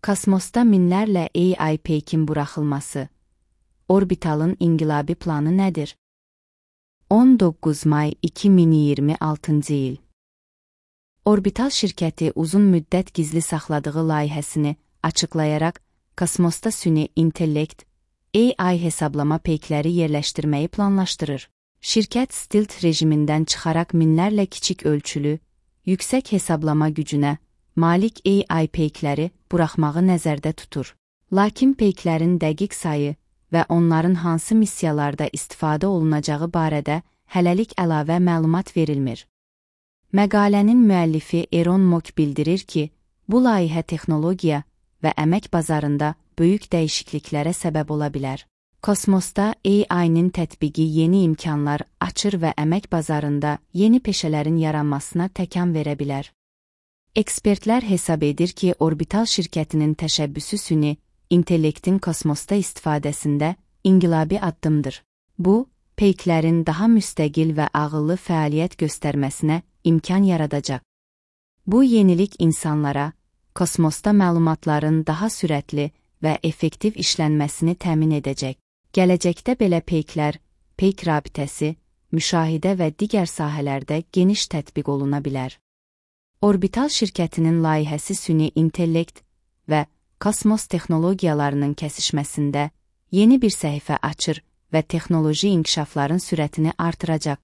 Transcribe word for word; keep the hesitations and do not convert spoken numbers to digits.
Kosmosda minlərlə A I peykin buraxılması. Orbitalın inqilabi planı nədir? on doqquz may iki min iyirmi altıncı il. Orbital şirkəti uzun müddət gizli saxladığı layihəsini açıqlayaraq, kosmosda süni intellekt, A I hesablama peykləri yerləşdirməyi planlaşdırır. Şirkət stealth rejimindən çıxaraq minlərlə kiçik ölçülü, yüksək hesablama gücünə malik A I peykləri buraxmağı nəzərdə tutur. Lakin peyklərin dəqiq sayı və onların hansı missiyalarda istifadə olunacağı barədə hələlik əlavə məlumat verilmir. Məqalənin müəllifi Elon Musk bildirir ki, bu layihə texnologiya və əmək bazarında böyük dəyişikliklərə səbəb ola bilər. Kosmosda A I-nin tətbiqi yeni imkanlar açır və əmək bazarında yeni peşələrin yaranmasına təkan verə bilər. Ekspertlər hesab edir ki, orbital şirkətinin təşəbbüsü süni intellektin kosmosda istifadəsində inqilabi addımdır. Bu, peyklərin daha müstəqil və ağıllı fəaliyyət göstərməsinə imkan yaradacaq. Bu yenilik insanlara, kosmosda məlumatların daha sürətli və effektiv işlənməsini təmin edəcək. Gələcəkdə belə peyklər, peyk rabitəsi, müşahidə və digər sahələrdə geniş tətbiq oluna bilər. Orbital şirkətinin layihəsi süni intellekt və kosmos texnologiyalarının kəsişməsində yeni bir səhifə açır və texnoloji inkişafların sürətini artıracaq.